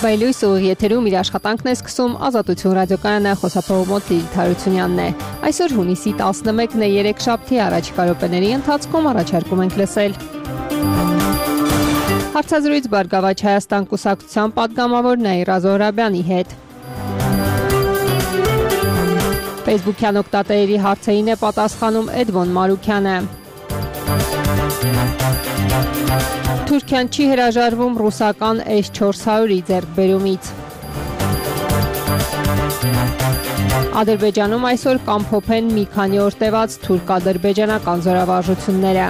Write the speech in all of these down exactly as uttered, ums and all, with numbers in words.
Բայլույս ուղիղ եթերում իր աշխատանքն է սկսում Ազատություն ռադիոկայանը, խոսափողում Լիլիթ Հարությունյանն է։ Այսօր հունիսի տասնմեկն է, երեքշաբթի առաջիկա րոպեների ընթացքում առաջարկում ենք լսել հարցազրույց Բարգավաճ Հայաստան կուսակցության պատգամավոր Նաիրա Զոհրաբյանի հետ։ Facebook-յան օգտատերերի հարցերին է պատասխանում Էդվոն Մարուքյանը։ Թուրքիան չի հրաժարվում ռուսական էս չորս հարյուրի ձեռքբերումից։ Ադրբեջանում այսօր կամփոփեն մի քանի օր տևած թուրք-ադրբեջանական զորավարժությունները։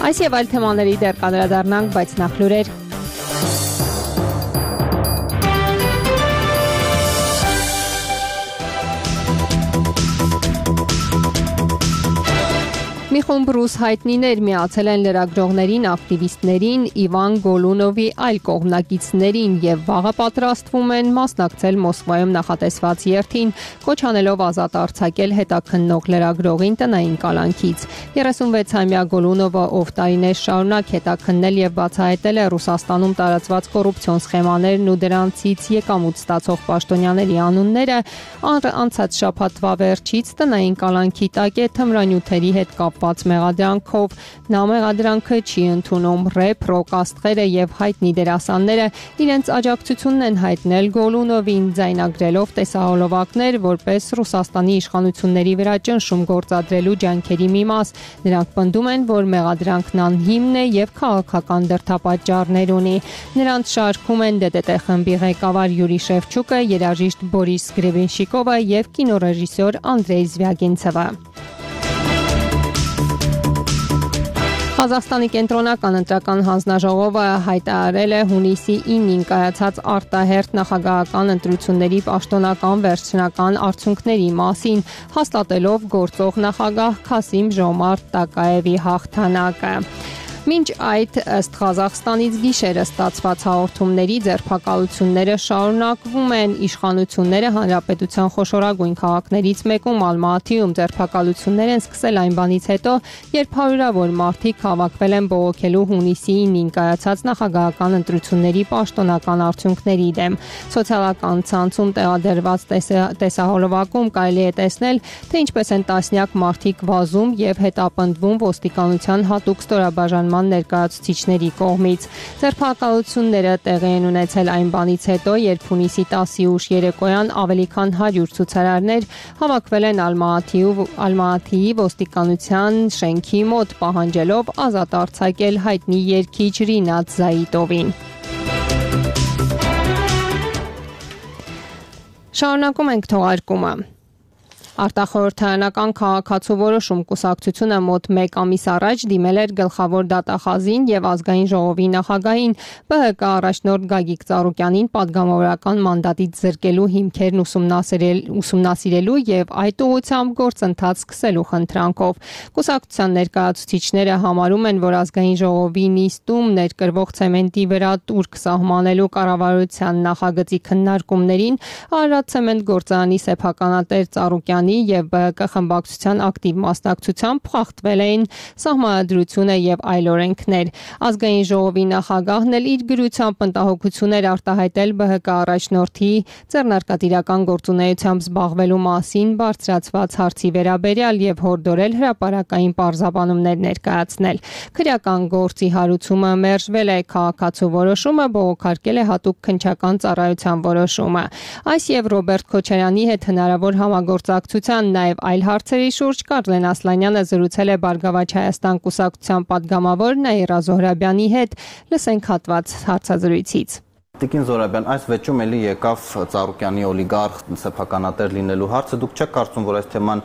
Այս եւ այլ թեմաների դեռ կանդրադառնանք, բայց նախ լուրեր։ Մի խումբ ռուս հայտնիներ միացել են լրագրողներին, ակտիվիստներին, Իվան Գոլունովի այլ կողմնակիցներին եւ վաղը պատրաստվում են մասնակցել Մոսկվայում նախատեսված երթին, կոչ անելով ազատ արձակել հետաքննող լրագրողին տնային կալանքից։ երեսունվեցամյա Գոլունովը, ով տարիներ շարունակ հետաքննել եւ բացահայտել է Ռուսաստանում տարածված կոռուպցիոն սխեմաներն ու դրանցից եկամուտ ստացող պաշտոնյաների անունները, անցած շաբաթվա վերջից տնային կալանքի տակ է թմրանյութերի հետ կապ մեղադրանքով։ Նա մեղադրանքը չի ընդունում։ Ռեփ, ռոք աստղերը եւ հայտնի դերասանները իրենց աջակցությունն են հայտնել Գոլունովին, ձայնագրելով տեսահոլովակներ, որպես Ռուսաստանի իշխանությունների վրա ճնշում գործադրելու ջանքերի մի մաս։ Նրանք պնդում են, որ մեղադրանքն անհիմն է եւ քաղաքական դրդապատճառներ ունի։ Նրանց շարքում են դե դե տե խմբի ղեկավար Յուրի Շևչուկը, երաժիշտ Բորիս Գրեբենշիկովը եւ կինոռեժիսոր Անդրեյ Զվյագինցևը։ Ղազախստանի կենտրոնական ընտրական հանձնաժողովը հայտարարել է հունիսի ինին կայացած արտահերթ նախագահական ընտրությունների պաշտոնական վերջնական արդյունքների մասին, հաստատելով գործող նախագահ Քասիմ Ժոմարտ Տակաևի հաղթանակը։ Մինչ այդ, ըստ Ղազախստանից գիշերը ստացված հաղորդումների, ձերբակալությունները շարունակվում են։ Իշխանությունները հանրապետության խոշորագույն քաղաքներից մեկում Ալմատիում ձերբակալություններ են սկսել այն բանից հետո, երբ հարյուրավոր մարդիկ հավաքվել են բողոքելու հունիսի ինին կայացած նախագահական ընտրությունների պաշտոնական արդյունքների դեմ։ Սոցիալական ցանցում տեղադրված տեսահոլովակում կարելի է տեսնել, թե ինչպես են տասնյակ մարդիկ վազում եւ հետապնդվում ոստիկանության հատուկ ստորաբաժանման ներկայացուցիչների կողմից։ Ձերբակալությունները տեղի են ունեցել այն բանից հետո, երբ հունիսի տասի ուշ երեկոյան ավելի քան հարյուր ցուցարարներ հավաքվել են Ալմատիի ոստիկանության շենքի մոտ, պահանջելով ազատ արձակել հայտնի երգիչ Ռինատ Զայիտովին։ Շարունակում ենք թողարկումը։ Արտախորհրդարանական քաղաքացու որոշում կուսակցությունը մոտ մեկ ամիս առաջ դիմել էր գլխավոր դատախազին եւ ազգային ժողովի նախագահին Բ Հ Կ առաջնորդ Գագիկ Ծառուկյանին պատգամավորական մանդատից զրկելու հիմքերն ուսումնասիրելու եւ այդ ուղղությամբ գործընթաց սկսելու խնդրանքով։ Կուսակցության ներկայացուցիչները համարում են, որ ազգային ժողովի նիստում ներկրվող ցեմենտի վրա տուրք սահմանելու կառավարության նախագծի քննարկումներին Արարատցեմենտ գործարանի սեփականատեր Ծառուկյան եւ Բ Հ Կ խմբակցության ակտիվ մասնակցությամբ խախտվել էին սահմանադրությունը եւ այլ օրենքներ։ Ազգային ժողովի նախագահն էլ իր գրությամբ մտահոգություն էր արտահայտել Բ Հ Կ առաջնորդի ձեռնարկատիրական գործունեությամբ զբաղվելու մասին բարձրացված հարցի վերաբերյալ եւ հորդորել հրապարակային պարզաբանումներ ներկայացնել։ Քրեական գործի հարուցումը մերժվել է, քաղաքացու որոշումը բողոքարկել է հատուկ քննչական ծառայության որոշումը։ Այս եւ Ռոբերտ Քոչարյանի հետ հնարավոր համագործակցություն Նաև այլ հարցերի շուրջ Կարլեն Ասլանյանը զրուցել է Բարգավաճ Հայաստան կուսակցության պատգամավոր Նաիրա Զոհրաբյանի հետ։ Լսենք հատված հարցազրույցից։ Տիկին Զոհրաբյան, այս վեճում էլի եկավ Ծառուկյանի օլիգարխ սեփականատեր լինելու հարցը։ Դուք չեք կարծում, որ այս թեման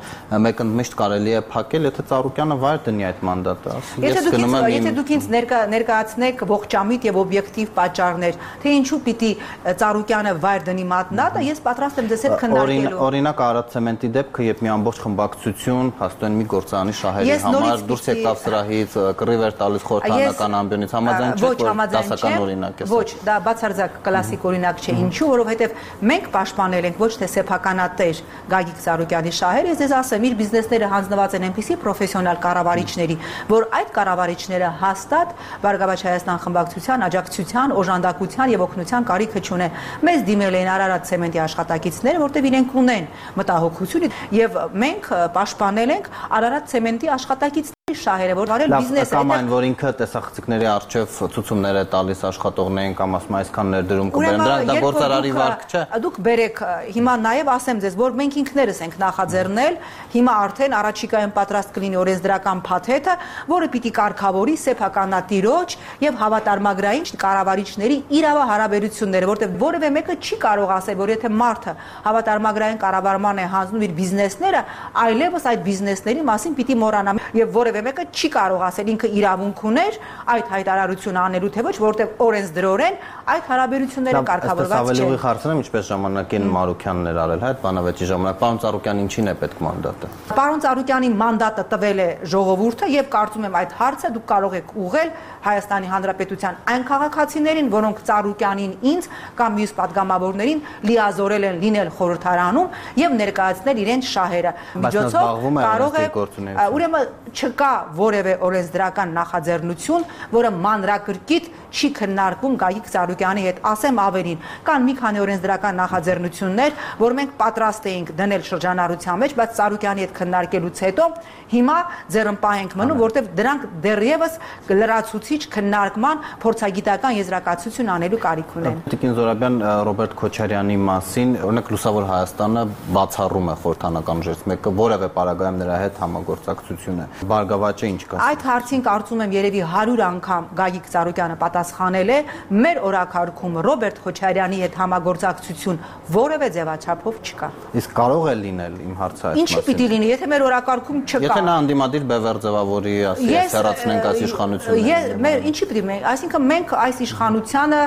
մեկընդմիշտ կարելի է փակել, եթե Ծառուկյանը վայր դնի այդ մանդատը։ Եթե դուք ինձ ներկայացնեք ողջամիտ եւ օբյեկտիվ պատճառներ, թե ինչու պիտի Ծառուկյանը վայր դնի մանդատը, ես պատրաստ եմ դեսել քննարկելու։ Օրինակ Արարատցեմենտի դեպքը, երբ մի ամբողջ խմբակցություն հաստատեն մի գործարանի շահերի համար դուրս եկավ սրահից, կռիվ էր տալիս խորհրդարանական ամբիոնից, համաձայն չեք, որ դասական օրինակ է։ Ոչ, դա բացարձակ բացարձակ կլասիկ օրինակ չէ, ինչու, որովհետև մենք պաշտպանել ենք ոչ թե սեփականատեր Գագիկ Ծառուկյանի շահերը, ես ասեմ, իր բիզնեսները հանձնված են այնպիսի պրոֆեսիոնալ կառավարիչների, որ այդ կառավարիչները հաստատ Բարգավաճ Հայաստան խմբակցության աջակցության, օժանդակության եւ օգնության կարիքը չունեն։ Մեզ դիմել են Արարատ ցեմենտի աշխատակիցները, որտեղ իրենք ունեն մտահոգություն եւ մենք պաշտպանել ենք Արարատ ցեմենտի աշխատակիցների շահերը, որ վարել բիզնեսը։ Կամ այն, որ ինքը տեսախցիկների առջև ցուցումներ է տալիս աշխատողներին կամ ասում այսքան ներդրում կբերեմ, դա գործարարի վարկ չէ։ Դուք բերեք հիմա նաեւ ասեմ ձեզ, որ մենք ինքներս ենք նախաձեռնել, հիմա արդեն առաջիկայում պատրաստ կլինի օրենսդրական փաթեթը, որը պիտի կարգավորի սեփականատիրոջ եւ հավատարմագրային կառավարիչների իրավահարաբերությունները, որտեղ որևէ մեկը չի կարող ասել, որ եթե մարդը հավատարմագրային կառավարման է հանձնում իր բիզնեսները, այլևս այդ բիզնեսների մասին պիտի մոռանա եւ որևէ մեկը չի կարող ասել ինքը իրավունք ուներ այդ հայտարարությունը անելու թե ոչ, որտեղ օրենսդրորեն այդ հարաբերությունները կարգավորված չեն։ Ավելի ուղիղ հարցնեմ, ինչպես ժամանակին Մարուքյանն էր արել, հա, այդ բանավեճի ժամանակ պարոն Ծառուկյան ինչին է պետք մանդատը։ Պարոն Ծառուկյանի մանդատը տվել է ժողովուրդը եւ կարծում եմ այդ հարցը դուք կարող եք ուղղել Հայաստանի Հանրապետության այն քաղաքացիներին, որոնք Ծառուկյանին ինձ կամ մյուս падգամավորներին լիազորել են լինել խորհրդարանում եւ ներկայացնել իրենց շահերը։ Միջոցով կարող է, ուրեմն չկա որևէ օրենսդրական նախաձեռնություն, որը մանրակրկիտ չի քննարկվում Գագիկ Ծառուկյանի հետ, ասեմ ավելին, կան մի քանի օրենսդրական նախաձեռնություններ, որ մենք պատրաստ էինք դնել շրջանառության մեջ, բայց Ծառուկյանի հետ քննարկելուց հետո հիմա ձեռնպահ ենք մնում, որտեղ դրանք դեռևս լրացուցիչ քննարկման փորձագիտական եզրակացություն անելու կարիք ունեն։ Տիկին Զորաբյան, Ռոբերտ Քոչարյանի մասին, օրինակ Լուսավոր Հայաստանը բացառում է խորհրդանական ուժերից մեկը, որևէ պարագայում նրա հետ համագործակցություն է։ Բարգավաճը ինչ կասի։ Այդ հարցին կարծում եմ երևի հարյուր անգամ Գագիկ Ծառուկյանը պատասխանել է, մեր օրակարգում Ռոբերտ Քոչարյանի հետ համագործակցություն որևէ ձևաչափով չկա։ Իսկ կարող է լինել իմ հարցը այս մասին։ Ինչի պիտի լինի, եթե մեր օրակարգում չկա։ Եթե նա անդիմադիր բևեռ ձևավորի, ասի, հեռացնենք այս իշխանությունը։ Մեր ինչի պիտի մենք, այսինքն մենք այս իշխանությանը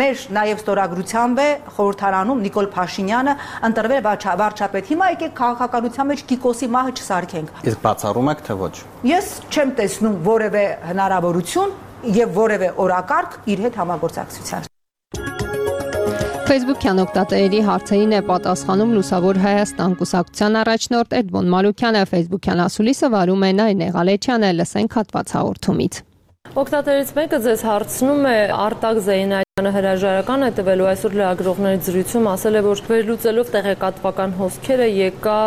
մեր նաև ստորագրությամբ է խորհրդարանում Նիկոլ Փաշինյանը ընտրվել վարչապետ։ Հիմա եկեք քաղաքականության մեջ Կիկոսի մահը չսարքենք։ Իսկ բացառում եք թե ոչ։ Ես չեմ տեսնում որևէ հնարավորություն եւ որևէ օրակարգ իր հետ համագործակցության։ Facebook-յան օգտատերերի հարցերին է պատասխանում Լուսավոր Հայաստան կուսակցության առաջնորդ Էդմոն Մարուքյանը, Facebook-յան ասուլիսը վարում է Նարինե Ղալեչյանը, լսենք հատված հաղորդումից։ Օգտատերից մեկը ձեզ հարցնում է Արտակ Զեյնալյանը հրաժարական է տվելու այսօր լրագրողների զրույցում ասել է, որ վերլուծելով տեղեկատվական հոսքերը եկա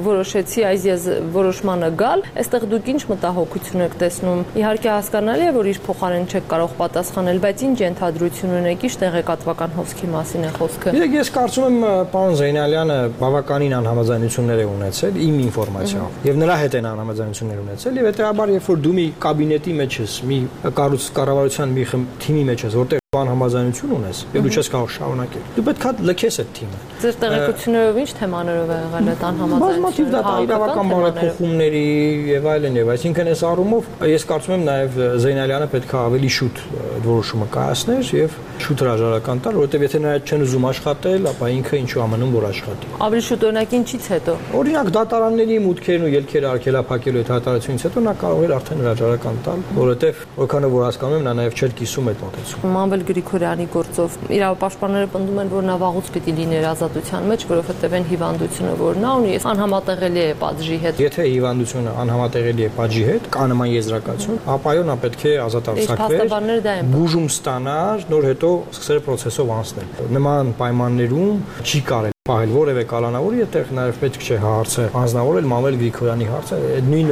որոշեցի այս որոշմանը գալ, այստեղ դուք ինչ մտահոգություն եք տեսնում։ Իհարկե հասկանալի է, որ իր փոխարեն չեք կարող պատասխանել, բայց ինչ ենթադրություն ունեք, ինչ տեղեկատվական հոսքի մասին է խոսքը։ Իրեք ես կարծում եմ պարոն Զեյնալյանը բավականին անհամաձայնություններ է ունեցել իմ ինֆորմացիայով եւ նրա հետ են անհամաձայնություններ ունեցել եւ հետեւաբար երբ որ դու մի կաբինետի մեջ ես, մի կառույց կառավարության մի թիմի մեջ ես, որտեղ անհամաձայնություն ունես, եւ դու չես կարող շարունակել։ Դու պետք է լքես այդ թիմը։ Ձեր տեղեկություններով ինչ թեմաներով է եղել այդ անհամաձայնությունը։ Բազմաթիվ դատաիրավական բարեփոխումների եւ այլն եւ այսինքն այս առումով ես կարծում եմ նաեւ Զեյնալյանը պետք է ավելի շուտ այդ որոշումը կայացներ եւ շուտ հրաժարական տալ, որովհետեւ եթե նա չեն ուզում աշխատել, ապա ինքը ինչու ամնում որ աշխատի։ Ավելի շուտ օրինակ ինչից հետո։ Օրինակ դատարանների մուտքերն ու ելքերը արգելափակելու այդ հայտարարությունից հետո նա կարող էր արդեն հրաժարական տալ, որովհետեւ որքանով որ հասկանում եմ նա նաեւ չէր կիսում այդ մոտեցումը։ Մանվել Գրիգորյանի գործով իրավապաշտպանները պնդում են, որ նա վաղուց պիտի լիներ ազատության մեջ, որովհետև այն հիվանդությունը, որ նա ունի, անհամատեղելի է պատժի հետ։ Եթե հիվանդությունը անհամատեղելի է պատժի հետ, կա նման եզրակացություն, ապա այո, նա պետք է ազատ արձակվեր, բուժում ստանար, նոր հետո սկսել process-ով անցնել։ Նման պայմաններում չի կարելի պահել որևէ կալանավորի, այդտեղ նաև պետք չէ հարցը հանձնավորել Մանվել Գրիգորյանի հարցը, այդ նույն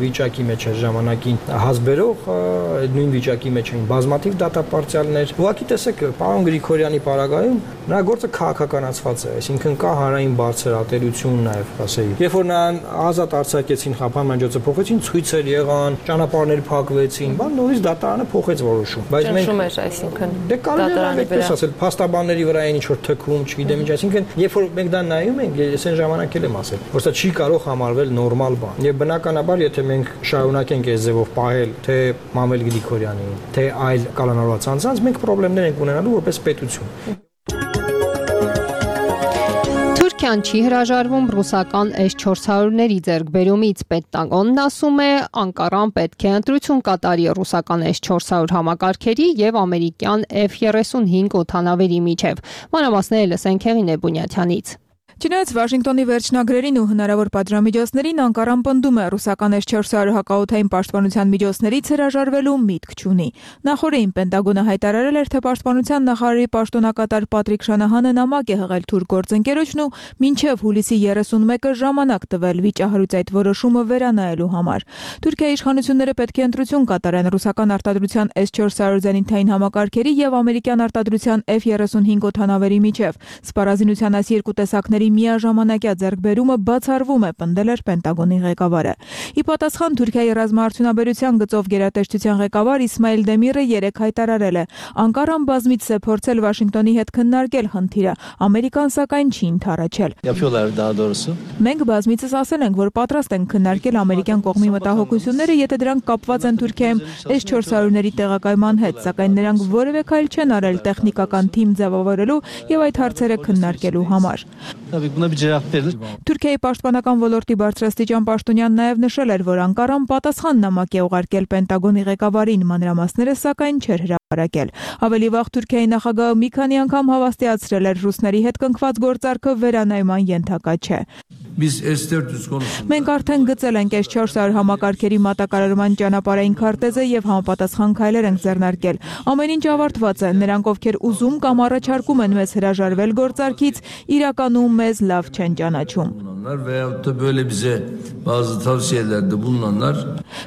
վիճակի մեջ էր ժամանակին հասբերող, այդ նույն վիճակի մեջ էին բազմաթիվ դատապարտյալներ։ Ուղղակի տեսեք, պարոն Գրիգորյանի պարագայում նրա գործը քաղաքականացված է, այսինքն կա հանրային բարձր ատելություն նաև, ասեի։ Երբ որ նրան ազատ արձակեցին, խափան միջոցը փոխեցին, ցույցեր եղան, ճանապարհներ փակվեցին, բան նորից դատարանը փոխեց որոշում։ Բայց մենք այսինքն դե կարելի է այդպես ասել, փաստաբանների վրա այն ինչ որ թքում, չգիտեմ ինչ, այսինքն երբ որ մենք դա նայում ենք, ես այն ժամանակ էլ եմ ասել, որ սա չի կարող համարվել նորմալ բան։ Եվ բնականաբար, եթե մենք շարունակենք այս ձևով պահել թե Մանվել Գրիգորյանին, թե այլ կալանավորված անձանց, մենք խնդիրներ ենք ունենալու որպես պետություն։ Ամերիկյան չի հրաժարվում ռուսական էս չորս հարյուրների ձեռքբերումից։ Պենտագոնն ասում է, Անկարան պետք է ընտրություն կատարի ռուսական էս չորս հարյուր համակարգերի եւ ամերիկյան F thirty-five օդանավերի միջև։ Մանրամասները լսենք Հեղինե Բունյաթյանից։ Չնայած Վաշինգտոնի վերջնագրերին ու հնարավոր պատժամիջոցներին Անկարան պնդում է ռուսական էս չորս հարյուր հակաօդային պաշտպանության միջոցներից հրաժարվելու միտք չունի։ Նախորդին Պենտագոնը հայտարարել էր, թե պաշտպանության նախարարի պաշտոնակատար Պատրիկ Շանահանը նամակ է հղել թուրք գործընկերոջն ու մինչև հուլիսի երեսունմեկը ժամանակ տվել վիճահարույց այդ որոշումը վերանայելու համար։ Թուրքիայի իշխանությունները պետք է ընտրություն կատարեն ռուսական արտադրության էս չորս հարյուր զենիթային համակարգերի եւ ամերիկյան արտադրության F thirty-five օդանավերի միջև։ Սպառազինության այս երկու տեսակների միաժամանակյա ձեռքբերումը բացառվում է, պնդել էր Պենտագոնի ղեկավարը։ Ի պատասխան Թուրքիայի ռազմաարդյունաբերության գծով գերատեսչության ղեկավար Իսմայիլ Դեմիրը երեկ հայտարարել է. Անկարան բազմիցս է փորձել Վաշինգտոնի հետ քննարկել խնդիրը, Ամերիկան սակայն չի ընդառաջել։ Մենք բազմիցս ասել ենք, որ պատրաստ ենք քննարկել ամերիկյան կողմի մտահոգությունները, եթե դրանք կապված են Թուրքիայում էս չորս հարյուրների տեղակայման հետ, սակայն նրանք որևէ քայլ չեն արել տեխնիկական թիմ ձևավորելու եւ այդ հարցերը քննարկելու համար։ Թուրքիայի պաշտպանական ոլորտի բարձրաստիճան պաշտոնյան նաև նշել էր, որ Անկարան պատասխան նամակ է ուղարկել Պենտագոնի ղեկավարին, մանրամասները սակայն չէր հրապարակել։ Ավելի վաղ Թուրքիայի նախագահը մի քանի անգամ հավաստիացրել էր ռուսների հետ կնքված գործարքը վերանայման ենթակա չէ։ Մենք արդեն գծել ենք էս չորս հարյուր համակարգերի մատակարարման ճանապարհային քարտեզը եւ համապատասխան քայլեր ենք ձեռնարկել։ Ամեն ինչ ավարտված է, նրանք ովքեր ուզում կամ առաջարկում են մեզ հրաժարվել գործարքից, իրականում մեզ լավ չեն ճանաչում։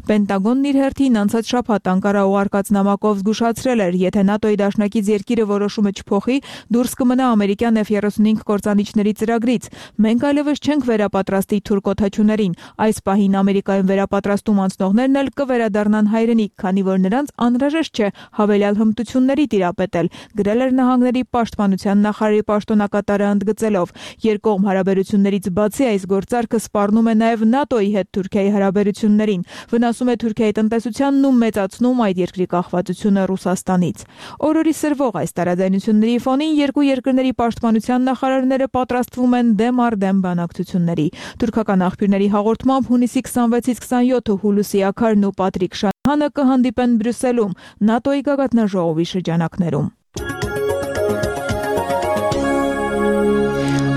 Պենտագոնն իր հերթին անցած շաբաթ Անկարա ուղարկած նամակով զգուշացրել էր, եթե ՆԱՏՕ-ի դաշնակից երկիրը որոշումը չփոխի, դուրս կմնա ամերիկյան F thirty-five կործանիչների ծրագրից։ Մենք այլևս չենք վերապատրաստի թուրք օդաչուներին։ Այս պահին Ամերիկայում վերապատրաստում անցնողներն էլ կվերադառնան հայրենիք, քանի որ նրանց անհրաժեշտ չէ հավելյալ հմտությունների տիրապետել, գրել էր նահանգների պաշտպանության նախարարի պաշտոնակատարը ընդգծելով։ Երկկողմ հարաբերություններից բացի այս գործարքը սպառնում է նաև ՆԱՏՕ-ի հետ Թուրքիայի հարաբերություններին, վնասում է Թուրքիայի տնտեսությանն ու մեծացնում այդ երկրի կախվածությունը Ռուսաստանից։ Օրորի սրվող այս տարաձայնությունների ֆոնին երկու երկրների պաշտպանության նախարարները պատրաստվում են դեմ առ դեմ բանակցությունների։ Թուրքական աղբյուրների հաղորդմամբ հունիսի քսանվեցից քսանյոթը Հուլուսի Աքարն ու Պատրիկ Շանհանը կհանդիպեն Բրյուսելում ՆԱՏՕ-ի գագաթնաժողովի շրջանակներում։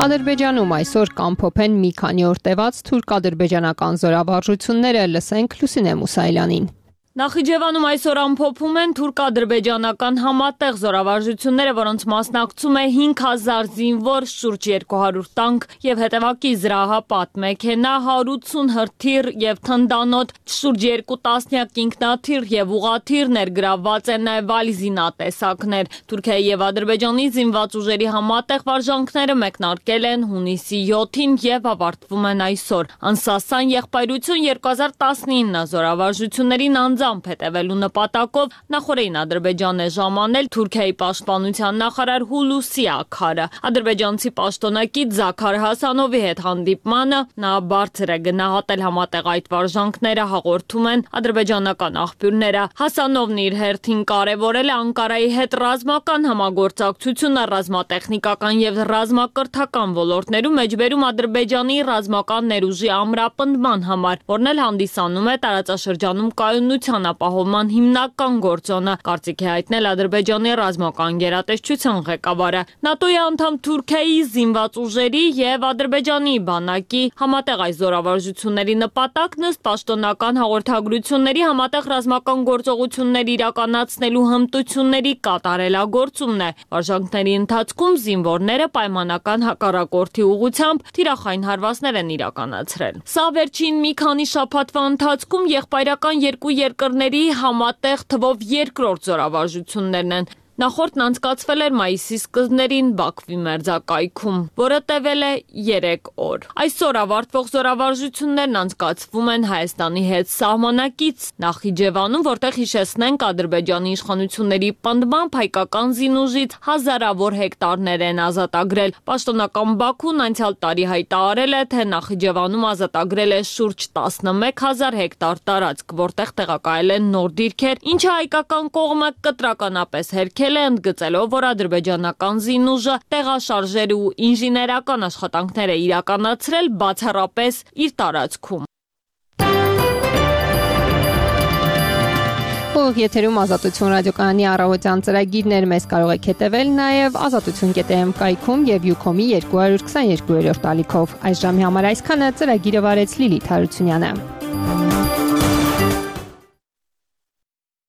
Ադրբեջանում այսօր կամփոփեն մի քանի օր տևած թուրք-ադրբեջանական զորավարժությունները, լսենք Լուսինե Մուսայելյանին։ Նախիջևանում այսօր ամփոփում են թուրք-ադրբեջանական համատեղ զորավարժությունները, որոնց մասնակցում է հինգ հազար զինվոր, շուրջ երկու հարյուր տանկ եւ հետևակի զրահապատ մեքենա, հարյուր ութսուն հրթիռ եւ թնդանոթ, շուրջ երկու տասնյակ ինքնաթիռ եւ ուղաթիռ, ներգրավված են նաեւ այլ զինատեսակներ։ Թուրքիայի եւ Ադրբեջանի զինված ուժերի համատեղ վարժանքները մեկնարկել են հունիսի յոթին եւ ավարտվում են այսօր։ Անսասան եղբայրություն երկու հազար տասնինը զորավարժություններին անձ հետևելու նպատակով նախորդին Ադրբեջանն է ժամանել Թուրքիայի պաշտպանության նախարար Հուլուսի Աքարը։ Ադրբեջանցի պաշտոնակից Զաքար Հասանովի հետ հանդիպմանը նա բարձր է գնահատել համատեղ այդ վարժանքները, հաղորդում են ադրբեջանական աղբյուրները։ Հասանովն իր հերթին կարևորել է Անկարայի հետ ռազմական համագործակցությունը ռազմատեխնիկական եւ ռազմակրթական ոլորտներում, մեջբերում Ադրբեջանի ռազմական ներուժի ամրապնդման համար, որն էլ հանդիսանում է տարածաշրջանում կայունության ապահովման հիմնական գործոնը, կարծիք է հայտնել Ադրբեջանի ռազմական գերատեսչության ղեկավարը։ ՆԱՏՕ-ի անդամ Թուրքիայի զինված ուժերի եւ Ադրբեջանի բանակի համատեղ այս զորավարժությունների նպատակն ըստ պաշտոնական հաղորդագրությունների համատեղ ռազմական գործողություններ իրականացնելու հմտությունների կատարելագործումն է։ Վարժանքների ընթացքում զինվորները պայմանական հակառակորդի ուղղությամբ թիրախային հարվածներ են իրականացրել։ Սա վերջին մի քանի շաբաթվա ընթացքում եղբայրական երկու երկրների համատեղ թվով երկրորդ զորավարժություններն են։ Նախորդն անցկացվել էր մայիսի սկզբներին Բաքվի մերձակայքում, որը տևել է երեք օր։ Այսօր ավարտվող զորավարժություններն անցկացվում են Հայաստանի հետ սահմանակից Նախիջևանում, որտեղ հիշեցնենք Ադրբեջանի իշխանությունների պնդմամբ հայկական զինուժից հազարավոր հեկտարներ են ազատագրել։ Պաշտոնական Բաքուն անցյալ տարի հայտարարել է, թե Նախիջևանում ազատագրել է շուրջ տասնմեկ հազար հեկտար տարածք, որտեղ տեղակայել են նոր դիրքեր, ինչը հայկական կողմը կտրականապես հերքել արձանագրել է, ընդգծելով, որ ադրբեջանական զինուժը տեղաշարժեր ու ինժեներական աշխատանքներ է իրականացրել բացառապես իր տարածքում։ Ող եթերում Ազատություն ռադիոկայանի առավոտյան ծրագիրներ մեզ կարող եք հետևել նաև ազատություն կետ էմ կայքում եւ Յուքոմի երկու քսաներկու ալիքով։ Այս ժամի համար այսքանը ծրագիրը վարեց Լիլիթ Հարությունյանը։